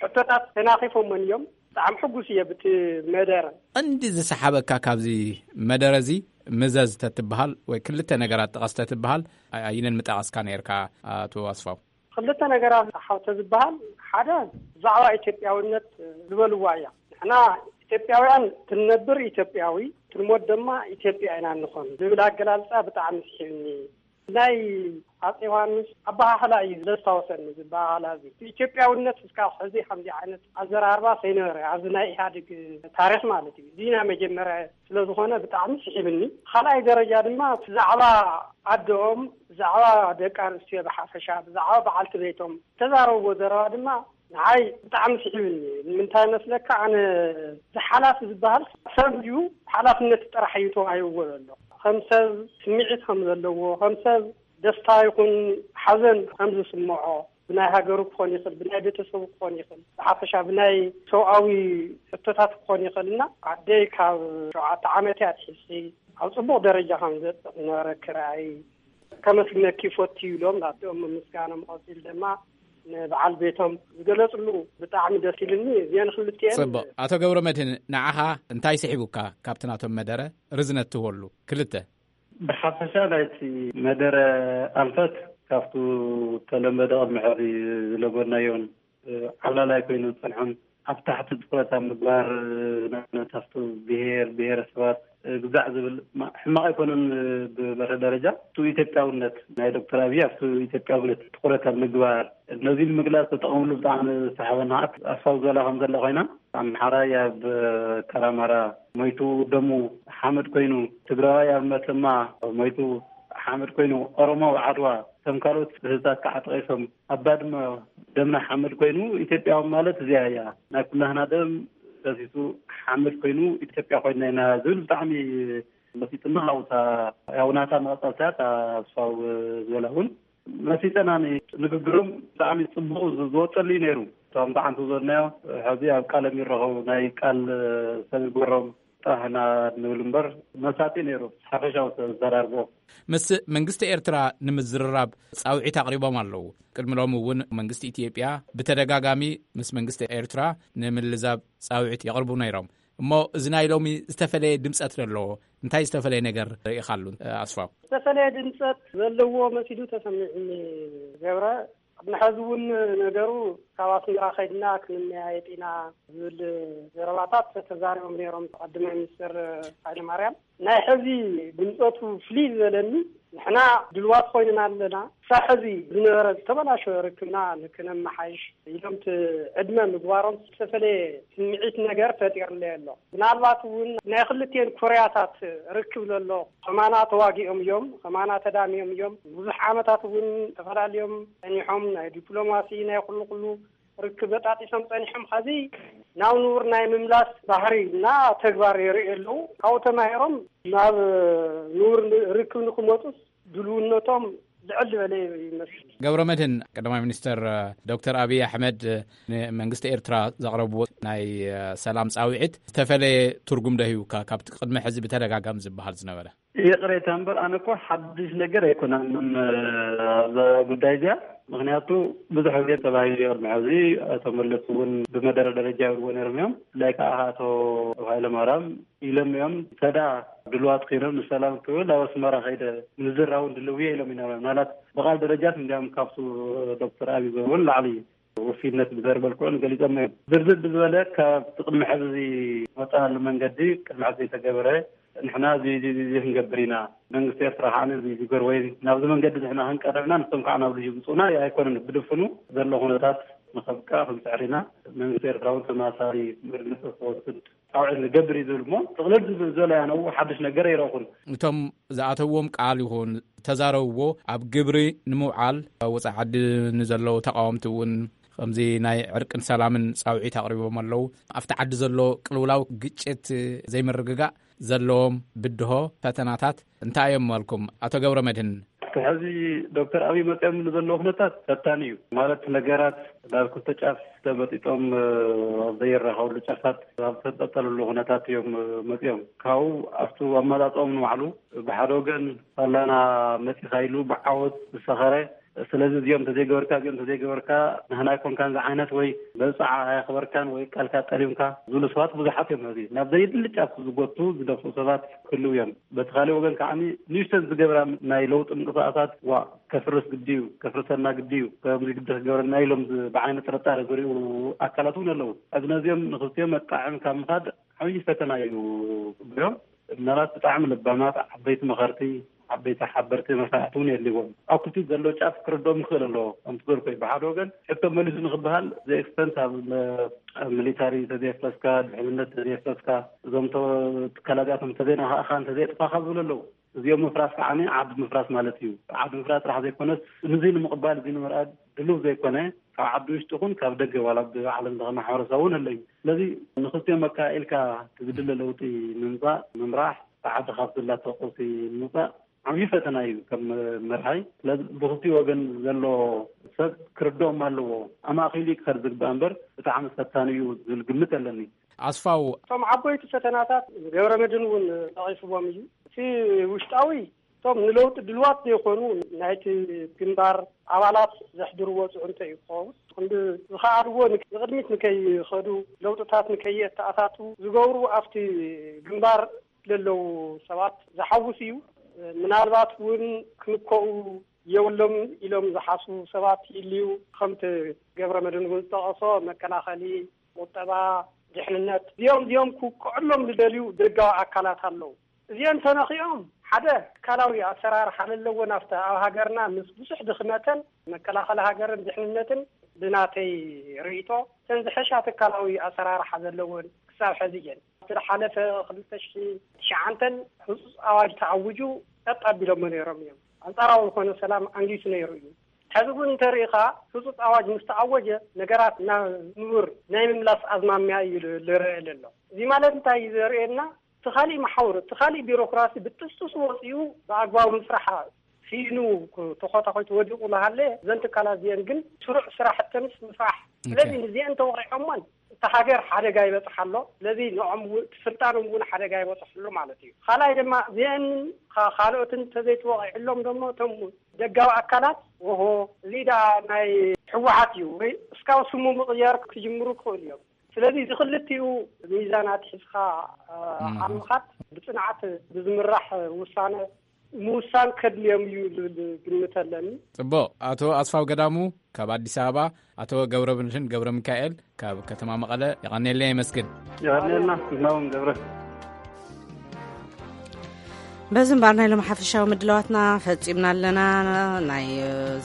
ሕቶታት ተናኺፎመን እዮም። ብጣዕሚ ሕጉስ እየ ብቲ መደረ። ቀንዲ ዝሰሓበካ ካብዚ መደረ እዚ፣ ምዘዝ ተትበሃል ወይ ክልተ ነገራት ጥቀስ ተትበሃል፣ ኣየነን ምጠቐስካ ነይርካ ኣቶ ኣስፋው? ክልተ ነገራት ሓው ተዝበሃል፣ ሓደ ብዛዕባ ኢትዮጵያውነት ዝበልዋ እያ። ንሕና ኢትዮጵያውያን ክንነብር ኢትዮጵያዊ፣ ክንሞት ድማ ኢትዮጵያ ኢና ንኾን ዝብል ኣገላልጻ ብጣዕሚ ስሒብኒ። ናይ ኣጼ ዮሃንስ ኣበሃህላ እዩ ዘስታወሰኒ፣ እዚ ኣበሃህላ እዚ። ኢትዮጵያውነት እስካብ ሕዚ ከምዚ ዓይነት ኣዘራርባ ሰይነበረ፣ ኣብዚ ናይ ኢህኣዴግ ታሪኽ ማለት እዩ። እዚ ናይ መጀመርያ ስለ ዝኾነ ብጣዕሚ ስሒብኒ። ካልኣይ ደረጃ ድማ ብዛዕባ ኣደኦም፣ ብዛዕባ ደቂ ኣንስትዮ ብሓፈሻ፣ ብዛዕባ በዓልቲ ቤቶም ዝተዛረብዎ ዘረባ ድማ ንዓይ ብጣዕሚ ስሒብኒ። ንምንታይ መስለካ? ኣነ እዚ ሓላፊ ዝበሃል ሰብ እዩ፣ ሓላፍነት ጥራሕ እዩ ተዋሂብዎ ዘሎ። ከም ሰብ ስምዒት ከም ዘለዎ፣ ከም ሰብ ደስታ ይኹን ሓዘን ከም ዝስምዖ፣ ብናይ ሃገሩ ክኾን ይኽእል፣ ብናይ ቤተሰቡ ክኾን ይኽእል፣ ብሓፈሻ ብናይ ሰብኣዊ ሕቶታት ክኾን ይኽእል እና ኣደይ ካብ ሸውዓተ ዓመት እያ ትሕሲ ኣብ ጽቡቕ ደረጃ ከም ዘብጽእ ዝነበረ ክረኣይ ከመስግነኪ ይፈቱ ኢሎም ናብኦም ምምስጋኖም ቀጺሉ ድማ ንበዓል ቤቶም ዝገለጽሉ ብጣዕሚ ደስ ኢልኒ። እዚአን ክልቲአን ጽቡቕ። ኣቶ ገብረ መድህን፣ ንዓኻ እንታይ ስሒቡካ ካብቲ ናቶም መደረ ርዝነት ትህበሉ? ክልተ። ብሓፈሻ ናይቲ መደረ ኣንፈት ካብቱ ተለመደ ቅድሚ ሕዚ ዝለመድናዮን ዓብላላይ ኮይኑ ዝጸንሐን ኣብ ታሕቲ ትኹረት ኣብ ምግባር፣ ንኣብነት ኣብቲ ብሄር ብሄረሰባት ግዛዕ ዝብል ማ-፣ ሕማቕ ኣይኮነን። ብመርህ ደረጃ እቲ ኢትዮጵያውነት ናይ ዶክተር ኣብይ ኣብቲ ኢትዮጵያውነት ትኹረት ኣብ ምግባር ነዚ ንምግላጽ ተጠቐምሉ ብጣዕሚ ዝሰሓበና። ኣስፋው ዝበላ ከም ዘላ ኮይና፣ ኣምሓራይ ኣብ ከራማራ ሞይቱ ደሙ ሓመድ ኮይኑ፣ ትግራዋይ ኣብ መተማ ሞይቱ ሓመድ ኮይኑ፣ ኦሮሞ ኣብ ዓድዋ ከም ካልኦት ህዝብታት ከዓ ጠቒሶም ኣብ ባድመ ደምና ሓመድ ኮይኑ፣ ኢትዮጵያዊ ማለት እዚኣ እያ። ናይ ኩላህና ደም ፈሲሱ ሓመድ ኮይኑ ኢትዮጵያ ኮይና ኢና ዝብል ብጣዕሚ መሲጥና። ኣብታ ያው ናታ መቐጸልታ እያ፣ እታ ኣስፋው ዝበላ እውን መሲጠና። ንግግሮም ብጣዕሚ ጽቡቕ ዝ-፣ ዝወጸሉ እዩ ነይሩ። እቶም ብዓንቱ ዝበልናዮ ሕዚ ኣብ ቃሎም ይረኸቡ፣ ናይ ቃል ሰብ ይግበሮም። ጥራሕና ንብል እምበር መሳጢ ነይሩ። ሓፈሻዊ ተዘራርቦ። ምስ መንግስቲ ኤርትራ ንምዝርራብ ጻውዒት ኣቕሪቦም ኣለዉ። ቅድሚ ሎሚ እውን መንግስቲ ኢትዮጵያ ብተደጋጋሚ ምስ መንግስቲ ኤርትራ ንምልዛብ ጻውዒት የቕርቡ ነይሮም። እሞ እዚ ናይ ሎሚ ዝተፈለየ ድምጸት ዘለዎ፣ እንታይ ዝተፈለየ ነገር ርኢኻሉ ኣስፋው? ዝተፈለየ ድምጸት ዘለዎ መሲሉ ተሰሚዑኒ ገብረ። ቅድሚ ሕዚ እውን ነገሩ ካብ ኣስመራ ከይድና ክንመያየጥ ኢና ዝብል ዘረባታት ተዛሪቦም ነይሮም ቀዳማይ ሚኒስትር ሃይለማርያም። ናይ ሕዚ ድምፀቱ ፍልይ ዝበለኒ፣ ንሕና ድልዋት ኮይንና ኣለና፣ ክሳብ ሕዚ ዝነበረ ዝተበላሸወ ርክብና ንክነመሓይሽ ኢሎም እቲ ዕድመ ምግባሮም ዝተፈለየ ስምዒት ነገር ፈጢርለይ ኣሎ። ምናልባት እውን ናይ ክልቴን ኮርያታት ርክብ ዘሎ፣ ከማና ተዋጊኦም እዮም፣ ከማና ተዳሚዮም እዮም። ብዙሕ ዓመታት እውን ተፈላለዮም ጸኒሖም፣ ናይ ዲፕሎማሲ ናይ ኩሉ ኩሉ ርክብ በጣጢሶም ጸኒሖም። ኸዚ ናብ ንቡር ናይ ምምላስ ባህሪ እና ተግባር የርእዩ ኣለዉ። ካብኡ ተማሂሮም ናብ ንቡር ርክብ ንክመጹስ ድልውነቶም ልዕል ዝበለ ይመስል። ገብረ መድህን፣ ቀዳማይ ሚኒስትር ዶክተር ኣብይ ኣሕመድ ንመንግስቲ ኤርትራ ዘቕረብዎ ናይ ሰላም ጻውዒት ዝተፈለየ ትርጉም ዶ ሂቡካ ካብቲ ቅድሚ ሕዚ ብተደጋጋሚ ዝበሃል ዝነበረ? ይቕሬታ እምበር፣ ኣነ እኮ ሓድሽ ነገር ኣይኮነን፣ እ፣ ኣብዛ ጉዳይ እዚኣ። ምኽንያቱ ብዙሕ ግዜ ተባሂሉ እዩ ቅድሚ ሕዚ። ኣቶ መለስ እውን ብመደረ ደረጃ ይብልዎ ነይሮም እዮም። ብፍላይ ከዓ ኣቶ ሃይለማርያም ኢሎም እዮም፣ ተዳ ድልዋት ኮይኖም ንሰላም ክብል ኣብ ኣስመራ ከይደ ምዝራውን ድልው እየ ኢሎም እዮም። ምናልባት ብቓል ደረጃት እንዲያም ካብቱ ዶክተር ኣብይ ዝበልዎ ንላዕሊ ውፍይነት ብዘርበልክዑን ገሊጾም እዮም። ዝርዝር ብዝበለ ካብ ቅድሚ ሕዚ ዝመጻሉ መንገዲ ቅድሚ ሕዚ ዘይተገበረ፣ ንሕና እዚ፣ እዚ፣ እዚ፣ እዚ ክንገብር ኢና፣ መንግስቲ ኤርትራ ከዓ እዚ ዝገር ወይ ናብዚ መንገዲ ንሕና ክንቀርብ ኢና፣ ንሶም ከዓ ናብዚ ይምጹና ኣይኮነን። ብድፍኑ ዘሎ ኩነታት ንኸብቅዕ ክንጽዕር ኢና። መንግስቲ ኤርትራ እውን ተመሳሳሊ መርምፅ ክወስድ ፃውዒት ንገብር እዩ ዝብል እሞ ጥቕልል ዝበለ ያነው ሓድሽ ነገር ኣይረኹን። እቶም ዝኣተውዎም ቃል ይኹን ተዛረብዎ ኣብ ግብሪ ንምውዓል ወፃኢ ዓዲ ንዘለዉ ተቃወምቲ እውን ከምዚ ናይ ዕርቅን ሰላምን ፃውዒት ኣቕሪቦም ኣለዉ። ኣብቲ ዓዲ ዘሎ ቅልውላው፣ ግጭት፣ ዘይምርግጋእ ዘለዎም ብድሆ ፈተናታት እንታይ እዮም መልኩም? ኣቶ ገብረ መድህን። ሕዚ ዶክተር ኣብይ መፅኦም ዘለዉ ኩነታት ፈታኒ እዩ። ማለት ነገራት ናብ ክልተ ጫፍ ተመጢጦም፣ እ፣ ኣብ ዘይራኸብሉ ጫፋት ኣብ ተንጠልጠልሉ ኩነታት እዮም፣ እ፣ መፅኦም። ካብኡ ኣብቲ ኣመጣፅኦም ንባዕሉ ብሓደ ወገን ሳላና መፂኻ ኢሉ ብዓወት ዝሰኸረ፣ ስለዚ እዚኦም እንተዘይገበርካ፣ እዚኦም እንተዘይገበርካ ንህና ኣይኮንካን ዝዓይነት ወይ መብፅዓ ኣየኽበርካን ወይ ቃልካ ጠሊምካ ዝብሉ ሰባት ብዙሓት እዮም። ሕዚ ናብ ዘይድሊ ጫፍ ዝጎቱ ዝደፍኡ ሰባት ክህልው እዮም። በቲ ካልእ ወገን ከዓ ንእሽተን ዝገብራ ናይ ለውጢ ምንቅስቃሳት ዋ ከፍርስ ግዲ እዩ፣ ከፍርሰና ግዲ እዩ፣ ከምዚ ግዲ ክገብረና ኢሎም ዝ-፣ ብዓይነ ጥርጣረ ዝሪኡ ኣካላት እውን ኣለዉ። ሕዚ ነዚኦም ንኽልቲኦም መጣዕም ካብ ምኻድ ዓብዪ ፈተና እዩ ክብሎም። ምናልባት ብጣዕሚ ለባማት ዓበይቲ መኸርቲ፣ ዓበይቲ ሓበርቲ መሳሕቲ እውን የድልዎም። ኣብ ክልቲኡ ዘሎ ጫፍ ክርድኦም ይኽእል ኣለዎ። ከምቲ ዝበልኩ እዩ፣ ብሓደ ወገን ሕቶ መሊሱ ንክበሃል ዘኤክስተንት ኣብ መ-፣ ኣብ ሚሊታሪ እንተዘየፍረስካ፣ ድሕንነት እንተዘየፍረስካ፣ እዞም ተ-፣ ትካላት እዚኣቶም እንተዘይነኻእኻ፣ እንተዘየጥፋኻ ዝብሉ ኣለዉ። እዚኦም ምፍራስ ከዓ ዓዲ ምፍራስ ማለት እዩ። ዓዲ ምፍራስ ጥራሕ ዘይኮነስ፣ ንዙይ ንምቕባል፣ እዚ ንምርኣድ ድሉው ዘይኮነ፣ ካብ ዓዲ ውሽጢ ይኹን ካብ ደገ፣ ዋላ ኣብ ዓለም ለኸ ማሕበረሰብ እውን ኣሎ እዩ። ስለዚ ንኽልቲኦም ኣካኢልካ ዝድለ ለውጢ ምምፃእ፣ ምምራሕ፣ እቲ ዓዲ ካብ ዘላቶ ቀውሲ ንምውፃእ ዓብዪ ፈተና እዩ ከም መርሃይ። ስለዚ ብኽልቲኡ ወገን ዘሎ ሰብ ክርድኦም ኣለዎ። ኣማእኺሉ እዩ ክኸድ ዝግባእ እምበር ብጣዕሚ ፈታኒ እዩ ዝብል ግምት ኣለኒ። ኣስፋው። እቶም ዓበይቲ ፈተናታት ገብረ መድህን እውን ጠቒስዎም እዩ። እቲ ውሽጣዊ፣ እቶም ንለውጢ ድልዋት ዘይኮኑ ናይቲ ግንባር ኣባላት ዘሕድርዎ ጽዕንቶ እዩ ክኸውን። ክንዲ ዝኸኣልዎ ንቅ-፣ ንቕድሚት ንከይኸዱ፣ ለውጥታት ንከየተኣታቱ ዝገብሩ ኣብቲ ግንባር ለለዉ ሰባት ዝሓውስ እዩ። ምናልባት እውን ክንከኡ የብሎም ኢሎም ዝሓስቡ ሰባት ይልዩ። ከምቲ ገብረ መድህን እውን ዝጠቐሶ መከላኸሊ፣ ቁጠባ፣ ድሕንነት፣ እዚኦም እዚኦም ክውቅዕሎም ዝደልዩ ደጋዊ ኣካላት ኣለዉ። እዚኦም ተነኺኦም ሓደ ትካላዊ ኣሰራርሓ ለለወን ኣብቲ ኣብ ሃገርና ምስ ብዙሕ ድኽመተን መከላኸሊ ሃገርን ድሕንነትን ብናተይ ርእይቶ እተን ዝሐሻ ትካላዊ ኣሰራርሓ ዘለወን ክሳብ ሕዚ እየን። ኣብቲ ዝሓለፈ ክልተ ሽሕን ትሽዓተን ህፁፅ ኣዋጅ ተኣውጁ ጠጥ ኣቢሎሞ ነይሮም እዮም። ኣንጻራዊ ዝኾነ ሰላም ኣንጊሱ ነይሩ እዩ። ሕዚ እውን እንተሪኢኻ ህፁፅ ኣዋጅ ምስ ተኣወጀ ነገራት ናብ ንቡር ናይ ምምላስ ኣዝማሚያ እዩ ል-፣ ልረአ ዘሎ። እዚ ማለት እንታይ እዩ ዘርእየና? እቲ ካሊእ መሓውር፣ እቲ ካሊእ ቢሮክራሲ ብጥስጥስ ወፂኡ ብኣግባቡ ምስራሕ ስኢኑ ተኾታኾይቱ ወዲቑ እናሃለ፣ እዘን ትካላት እዚአን ግን ስሩዕ ስራሕተንስ ምስራሕ። ስለዚ ንዚአን ተወቒዖሞን እታ ሃገር ሓደጋ ይበፅሓ ኣሎ። ስለዚ ንዖም እውን፣ እቲ ስልጣኖም እውን ሓደጋ ይበፅሑ ኣሎ ማለት እዩ። ካልኣይ ድማ እዚአን ካ-፣ ካልኦትን እንተዘይተወቒዕሎም ደሞ እቶም ደጋዊ ኣካላት፣ ኦሆ፣ እዚ ደኣ ናይ ህወሓት እዩ ወይ እስካብ ስሙ ምቕያር ክጅምሩ ክኽእሉ እዮም። ስለዚ እዚ ክልቲኡ ሚዛናት ሒዝካ፣ እ፣ ኣብ ምኻድ ብፅንዓት ብዝምራሕ ውሳነ ምውሳን ከድልዮም እዩ ዝብል ግምት ኣለኒ። ጽቡቕ። ኣቶ ኣስፋው ገዳሙ ካብ ኣዲስ ኣበባ፣ ኣቶ ገብረብንሽን ገብረ ሚካኤል ካብ ከተማ መቐለ፣ የቐንየልና የመስግን። የቐንየልና። ንሕና እውን ገብረ። በዚ እምበኣር ናይ ሎም ሓፈሻዊ ምድላዋትና ፈጺምና ኣለና። ናይ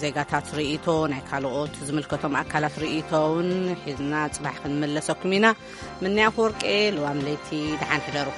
ዜጋታት ርእይቶ፣ ናይ ካልኦት ዝምልከቶም ኣካላት ርእይቶ እውን ሒዝና ጽባሕ ክንምለሰኩም ኢና። ምንያ ኣፈወርቄ፣ ልዋም ለይቲ፣ ደሓን ሕደሩ።